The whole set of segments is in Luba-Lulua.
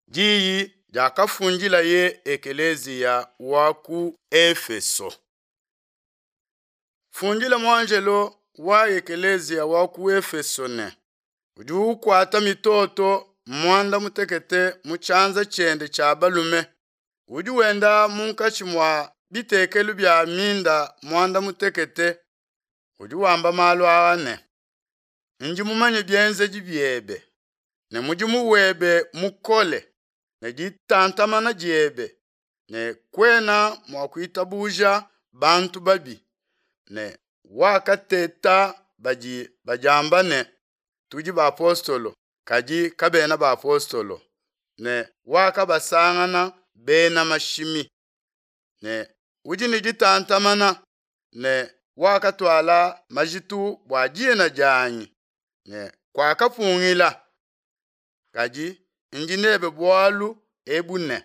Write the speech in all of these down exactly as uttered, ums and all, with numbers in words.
Diyi diakafundilaye ekeleziya wa ku Efeso. Fundila muanjelo wa ekeleziya wa ku Efeso ne, Udi ukuata mitoto muanda mutekete mu tshianza tshiende tshia balume, udi wenda munkatshi mua bitekelu bia minda muanda mutekete, udi wamba malu aa ne: Ndi mumanye bienzedi biebe, ne mudimu webe mukole, ne ditantamana diebe, ne kuena mua kuitabuja bantu babi, ne wakateta badi badiamba ne, Tudi bapostolo, kadi kabena bapostolo, ne wakabasangana bena mashimi. Ne udi ne ditantamana, ne wakatuala majitu bua dina dianyi, ne kuakapungila. Kadi ndi nebe bualu ebu ne,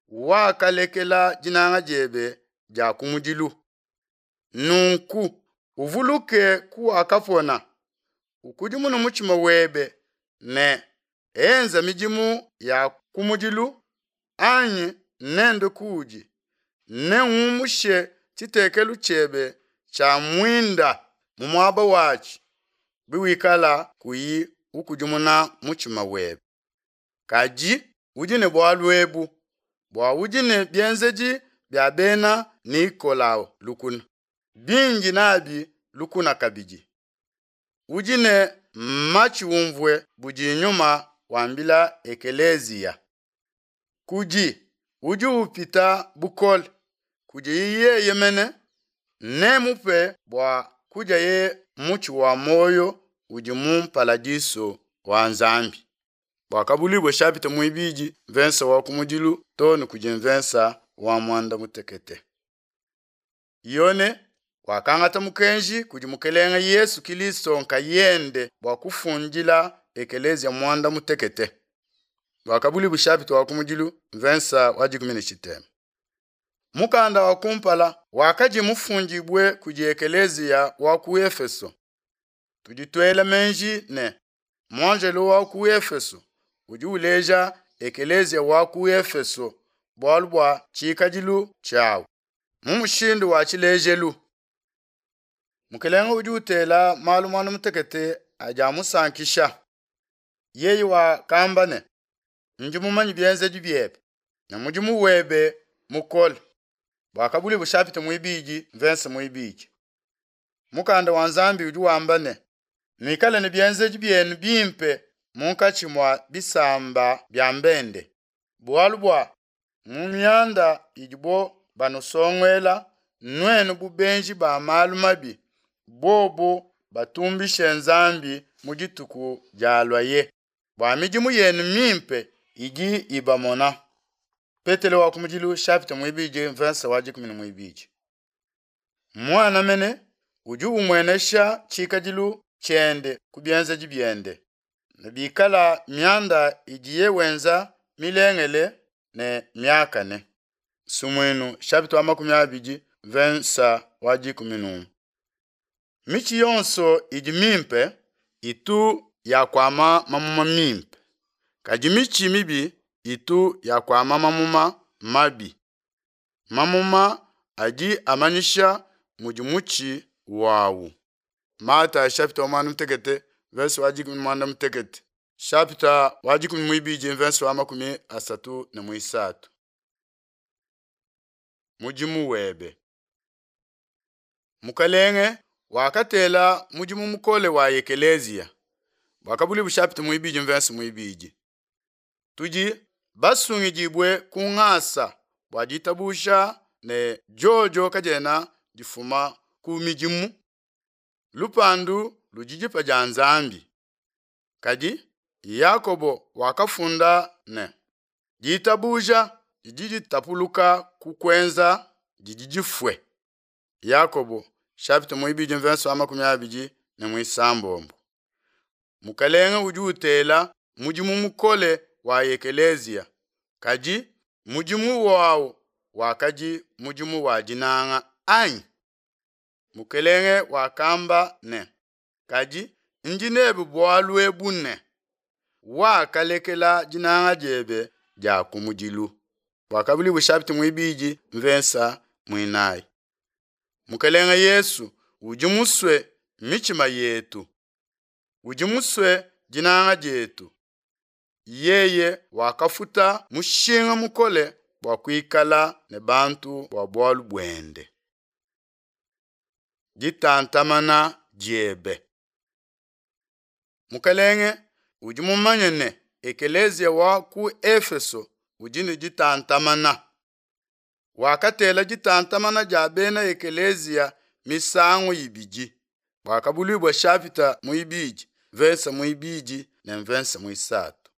wakalekela dinanga diebe dia kumudilu. Nunku uvuluke kuwakapona, ukudimune mutshima webe ne enza midimu ya kumudilu, anyi nendue kuudi, nengumushe tshitekelu tshiebe tshia muinda mu muaba watshi, biwikala kuyi ukudimuna mutshima webe. Kadi udi ne bualu ebu, bua udi ne bienzedi bia bena Nikolao lukuna, bindi nabi lukuna kabidi. Udi ne matshi umvue budi Nyuma wambila ekeleziya. Kudi udi upita bukole, kudiye yeye mene, nemmupe bua kudiaye mutshi wa muoyo udi mu mparadiso wa Nzambi. Buakabuluibua shapita muibidi mvensa wa kumudilu too ne kudi mvensa wa muanda mutekete. Yone wakangata mukenji kudi Mukelenge Yesu Kilisto nkayende bua kufundila ekeleziya muanda mutekete. Buakabuluibua shapita wa kumudilu mvensa wa dikumi ne tshitema. Mukanda wa kumpala wakadi mufundibue kudi ekeleziya wa ku Efeso. Tudi tuela meji ne muanjelo wa ku Efeso udi uleja ekeleziya wa ku Efeso bualu bua tshikadilu tshiawu mu mushindu wa tshilejelu. Mukelenge udi utela malu muanda mutekete adi amusankisha. Yeye wakamba ne, Ndi mumanye bienzedi biebe ne mudimu webe mukole. Buakabuluibua shapita muibidi mvensa muibidi. Mukanda wa Nzambi udi wamba ne, Nuikale ne bienzedi bienu bimpe munkatshi mua bisamba bia mbende, bualu bua mu mianda idibo banusonguela nuenu bu benji ba malu mabi, bobo batumbishe Nzambi mu dituku dialuaye bua midimu yenu mimpe idi ibamona. Petelo wa kumudilu shapita muibidi mvensa wa dikumi ne muibidi. Muana mene udi umuenesha tshikadilu tshiende ku bienzedi biende, ne bikala mianda idiye wenza milengele ne miakane. Sumuinu shapita wa makumi abidi mvensa wa dikumi n'umue. Mitshi yonso idi mimpe itu yakuama mamuma mimpe, kadi mitshi mibi itu yakuama mamuma mabi. Mamuma adi amanyisha mudi mutshi wawu. Matayo shapita wa muanda mutekete verse wa dikumi ne muanda mutekete shapita wa dikumi muibidi verse wa makumi asatu ne muisatu. Mudimu webe. Mukalenge wakatela mudimu mukole wa ekeleziya. Buakabuluibua shapita muibidi verse muibidi. Tudi basungidibue ku ngasa bua ditabusha ne diodio kadiena difuma ku midimu. Lupandu ludi dipa dia Nzambi. Kadi Yakobo wakafunda ne, ditabuja didi ditapuluka ku kuenza didi difue. Yakobo shapita muibidi mvensa wa makumi abidi ne muisambombo. Mukalenge udi utela mudimu mukole wa ekeleziya, kadi mudimu wawu wakadi mudimu wa dinanga anyi? Mukelenge wakamba ne, kadi ndi nebe bualu ebu ne, wakalekela dinanga diebe dia kumudilu. Buakabuluibua chapitre muibidi mvensa muinayi. Mukelenge Yesu udi musue mitshima yetu, udi musue dinanga dietu. Yeye wakafuta mushinga mukole bua kuikala ne bantu bua bualu buende. Ditantamana diebe. Mukelenge udi mumanye ne ekeleziya wa ku Efeso udi ne ditantamana. Wakatela ditantamana dia bena ekeleziya misangu ibidi. Buakabuluibua chapitre muibidi verse muibidi ne mvensa muisatu.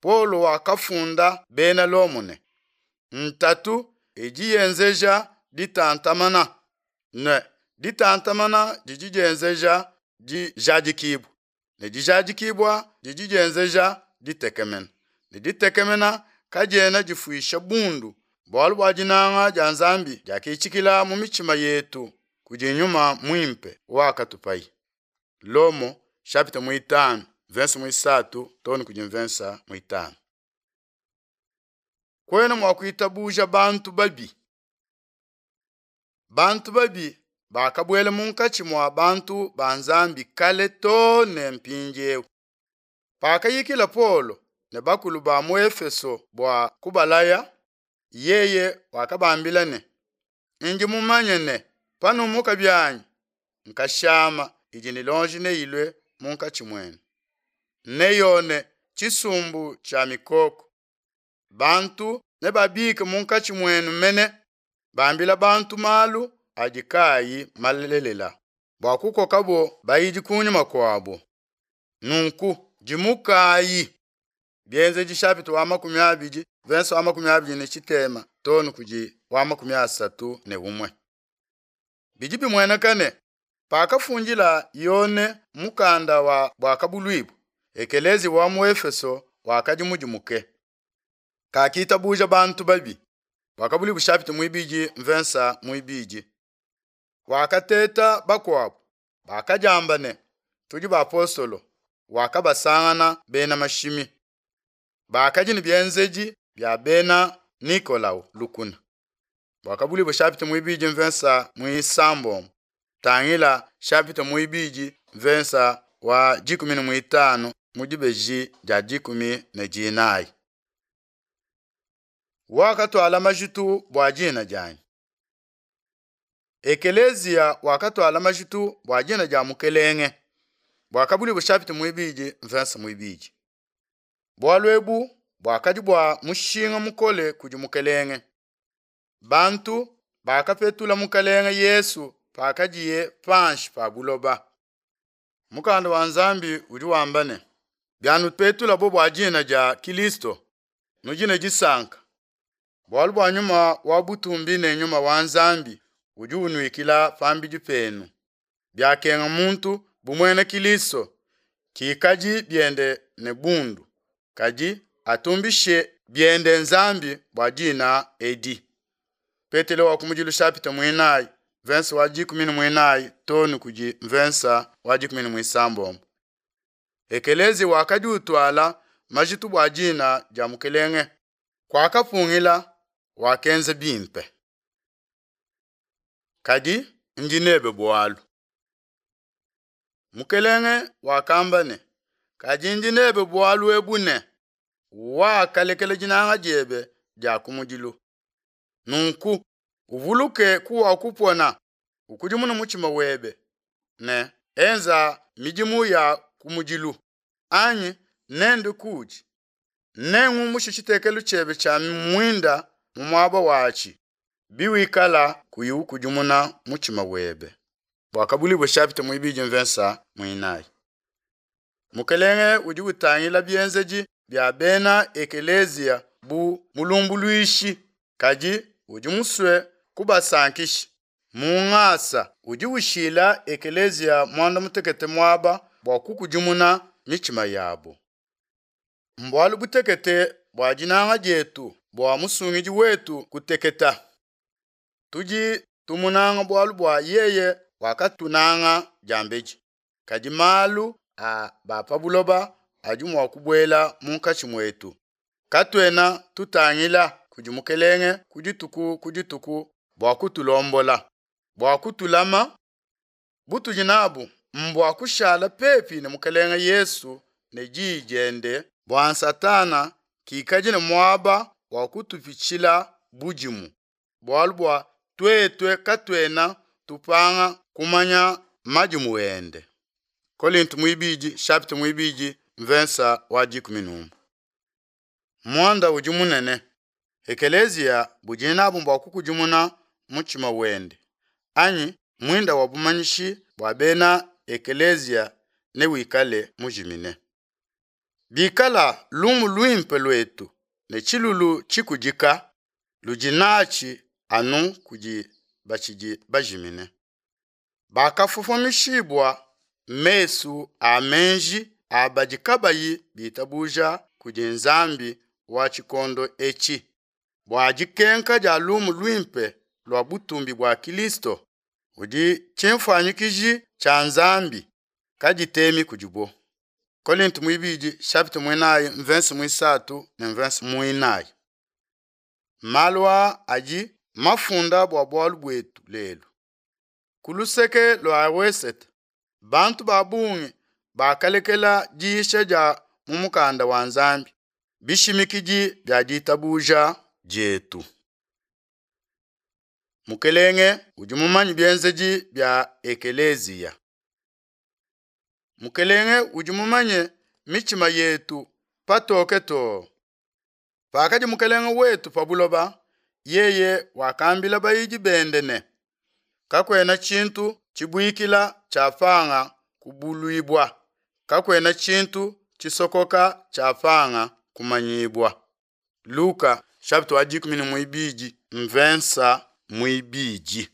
Paulo wakafunda bena Lomo ne ntatu idi yenzeja ditantamana ne ditantamana didi dienzeja dijadikibua ne dijadikibua didi dienzeja ditekemena ne ditekemena kadiena difuisha bundu bualu bua dinanga dia Nzambi diakitshikila mu mitshima yetu kudi nyuma muimpe wakatupayi. Lomo chapitre muitanu verse muisatu too kudi mvensa muitanu. Kuena mua kuitabuja bantu babi. Bantu babi bakabuela munkatshi mua bantu ba Nzambi kale too ne mpindieu. Pakayikila Paulo ne bakulu ba mu Efeso bua kubalaya, yeye wakabambila ne, ndi mumanye ne panumuka bianyi nkashama idi ne lonji neilue munkatshi muenu. Neyone tshisumbu tshia mikoko. Bantu nebabike munkatshi muenu mene bambila bantu malu adi kaayi malelela bua kukokabo bayidi kunyima kuabo. Nunku dimukayi. Bienzedi chapitre wa makumi abidi verse wa makumi abidi ne tshitema too kudi wa makumi asatu ne umue. Bidi bimueneka ne pakafundila Yone mukanda wa Buakabuluibua, ekelezi wa mu Efeso wakadi mudimuke. Kakitabuja bantu babi. Buakabuluibua chapitre muibidi mvensa muibidi. Wakateta bakuabu bakadiamba ne tudi bapostolo, wakabasangana bena mashimi. Bakadi ne bienzedi bia bena Nikolao lukuna. Buakabuluibua chapitre muibidi mvensa muisambombo. Tangila chapitre muibidi mvensa wa dikumi ne muitanu mu dibeji dia dikumi ne dinayi. Wakatuala majitu bua dina dianyi. Ekelezia wakatuala majitu bua dina dia Mukelenge. Buakabuluibua chapitre muibidi mvensa muibidi. Bualu ebu buakadi bua mushinga mukole kudi Mukelenge. Bantu bakapetula Mukelenge Yesu pakadiye panshi pa buloba. Mukanda wa Nzambi udi wamba ne, bianupetulabo bua dina dia Kilisto, nudi ne disanka. Bualu bua nyuma wa butumbi ne nyuma wa Nzambi udi unuikila pambidi penu. Biakenga muntu bu muena Kilisto, kikadi biende ne bundu, kadi atumbishe biende Nzambi bua dina edi. Petelo wa kumudilu chapitre muinayi verse wa dikumi ne muinayi too ne kudi mvensa wa dikumi ne muisambombo. Ekelezi wakadi utuala majitu bua dina dia Mukelenge. Kwakapungila wakenza bimpe. Kadi ndi nebe bualu. Mukelenge wakamba ne, kadi ndi nebe bualu ebu ne, wakalekela dinanga diebe dia kumudilu. Nunku uvuluke kuwakupona, ukudimune mutshima webe ne enza midimu ya kumudilu, anyi nende kudi nengumushe tshitekelu tshiebe tshia muinda mu muaba watshi biwikala kuyi ukudimuna mutshima webe. Buakabuluibua chapitre muibidi mvensa muinayi. Mukelenge udi utangila bienzedi bia bena ekelezia bu mulumbuluishi, kadi udi musue kubasankisha. Mu ngasa udi ushila ekelezia muanda mutekete muaba bua kukudimuna mitshima yabo. Mbualu butekete bua dinanga dietu bua musungidi wetu kuteketa. Tudi tumunanga bualu bua yeye wakatunanga diambedi. Kadi malu a ba pa buloba adi mua kubuela munkatshi muetu. Katuena tutangila kudi Mukelenge ku dituku ku dituku bua kutulombola, bua kutulama. Butudi nabu mbua kushala pepi ne Mukelenge Yesu ne Diyi diende bua Satana kikadi ne muaba wa kutupitshila budimu, bualu bua tuetu katuena tupanga kumanya madimu ende. Kolinto muibidi chapitre muibidi mvensa wa dikumi n'umue. Muanda udi munene ekeleziya budi nabu mbua kukudimuna mutshima wende anyi muinda wa bumanyishi bua bena ekeleziya newikale mujimine. Bikala lumu luimpe luetu ne tshilulu tshikudika ludi natshi anu kudi batshidi bajimine. Bakafofomishibua mesu a meji a badi kabayi bitabuja kudi nzambi wa tshikondo etshi, bua dikenka dia lumu luimpe lua butumbi bua Kilisto, udi tshinfuanyikiji tshia Nzambi, kaditemi kudibo. Kolinto muibidi chapitre muinayi mvense muisatu ne mvense muinayi. Malu aa adi mafunda bua bualu buetu lelu. Ku luseke lua wesete, bantu ba bungi bakalekela diyisha dia mu mukanda wa Nzambi, bishimikidi bia ditabuja dietu. Mukelenge udi mumanye bienzedi bia ekeleziya. Mukelenge udi mumanye mitshima yetu patoke too. Pakadi Mukelenge wetu pa buloba, yeye wakambila bayidi bende ne, Kakuena tshintu tshibuikila tshiapanga kubuluibua, kakuena tshintu tshisokoka tshiapanga kumanyibua. Luka chapitre wa dikumi ne muibidi mvensa muibidi.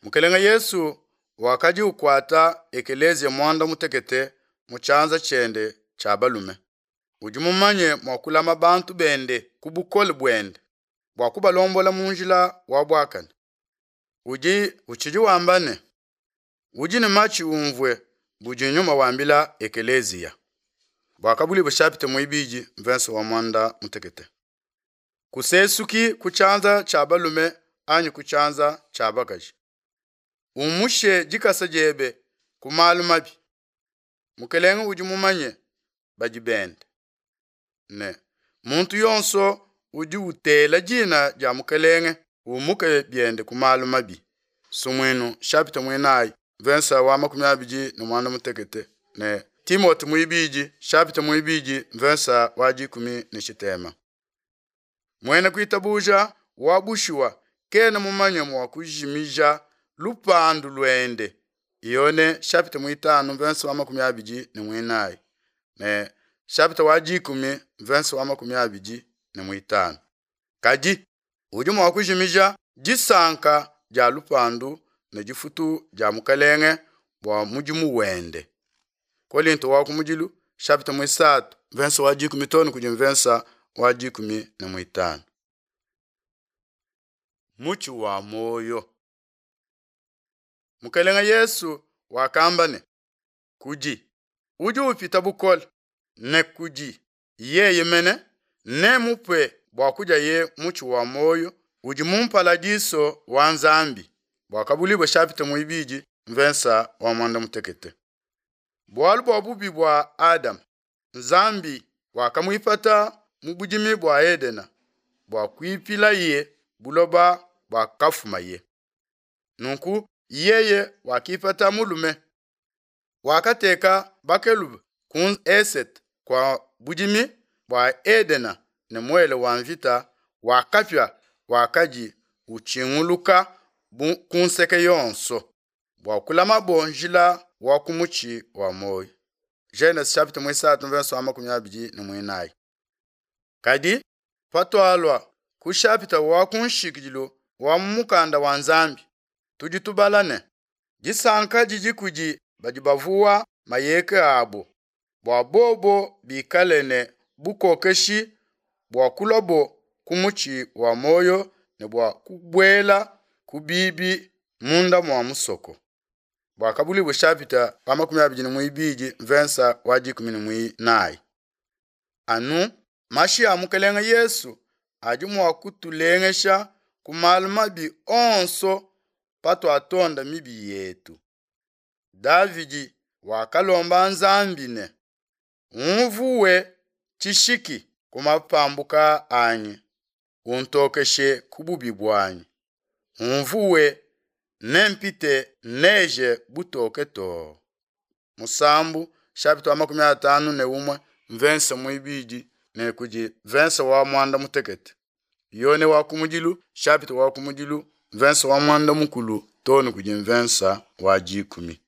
Mukelenge Yesu wakadi ukuata ekeleziya muanda mutekete mu tshianza tshiende tshia balume. Udi mumanye mua kulama bantu bende ku bukole buende bua kubalombola mu njila wa buakane. Udi utshidi wamba ne, udi ne matshi umvue budi nyuma wambila ekeleziya. Buakabuluibua chapitre muibidi mvensa wa muanda mutekete. Kusesuki ku tshianza tshia balume anyi ku tshianza tshia bakaji. Umushe dikasa diebe ku malu mabi. Mukelenge udi mumanye badi bende ne muntu yonso udi utela dina dia Mukelenge umuke biende ku malu mabi. Sumuinu chapitre muinayi mvensa wa makumi abidi ne muanda mutekete ne Timote muibidi chapitre muibidi mvensa wa dikumi ne tshitema. Muena kuitabuja wa bushuwa kena mumanye mua kujimija lupandu luende. Yone chapitre muitanu mvensa wa makumi abidi ne muinayi ne chapitre wa dikumi mvensa wa makumi abidi ne muitanu. Kadi udi mua kujimija disanka dia lupandu ne difutu dia Mukelenge bua mudimu wende. Kolinto wa kumudilu chapitre muisatu mvensa wa dikumi too ne kudi mvensa wa dikumi ne muitanu. Mutshi wa muoyo. Mukelenge Yesu wakamba ne, kudi udi upita bukole ne kudi yeye mene nemupe bua kudiaye mutshi wa muoyo udi mu mpaladiso wa Nzambi. Buakabuluibua chapitre muibidi mvensa wa muanda mutekete. Bualu bua bubi bua Adama, Nzambi wakamuipata mu budimi bua Edena bua kuipilaye buloba buakafumaye. Nunku yeye wakipata mulume, wakateka bakeluba ku esete kua budimi bua Edena ne muele wa mvita wa kapia wakadi utshinguluka ku nseke yonso bua kulamabo njila wa ku mutshi wa muoyo. Genese chapitre muisatu verset wa makumi abidi ne muinayi. Kadi patualua ku chapitre wa ku nshikidilu wa mu mukanda wa Nzambi, tudi tubala ne disanka didi kudi badi bavuwa mayeke abo, bua bobo bikale ne bukokeshi bua kulwabo ku mutshi wa muoyo ne bua kubuela ku bibi munda mua musoko. Buakabuluibua chapitre wa makumi abidi ne muibidi verset wa dikumi ne muinayi. Anu Mashi a Mukelenge Yesu adi mua kutulengesha ku malu mabi onso patuatonda mibi yetu. Davidi wakalomba Nzambi ne, Unvue tshishiki ku mapambuka anyi, untokeshe ku bubi buanyi. Unvue, nempite neige butoke too. Musambu chapitre wa makumi atanu ne umue mvensa muibidi ne kudi mvensa wa mwanda mutekete. Yone wa kumudilu chapitre wa kumudilu mvensa wa mwanda mukulu too ne kudi mvensa wa dikumi.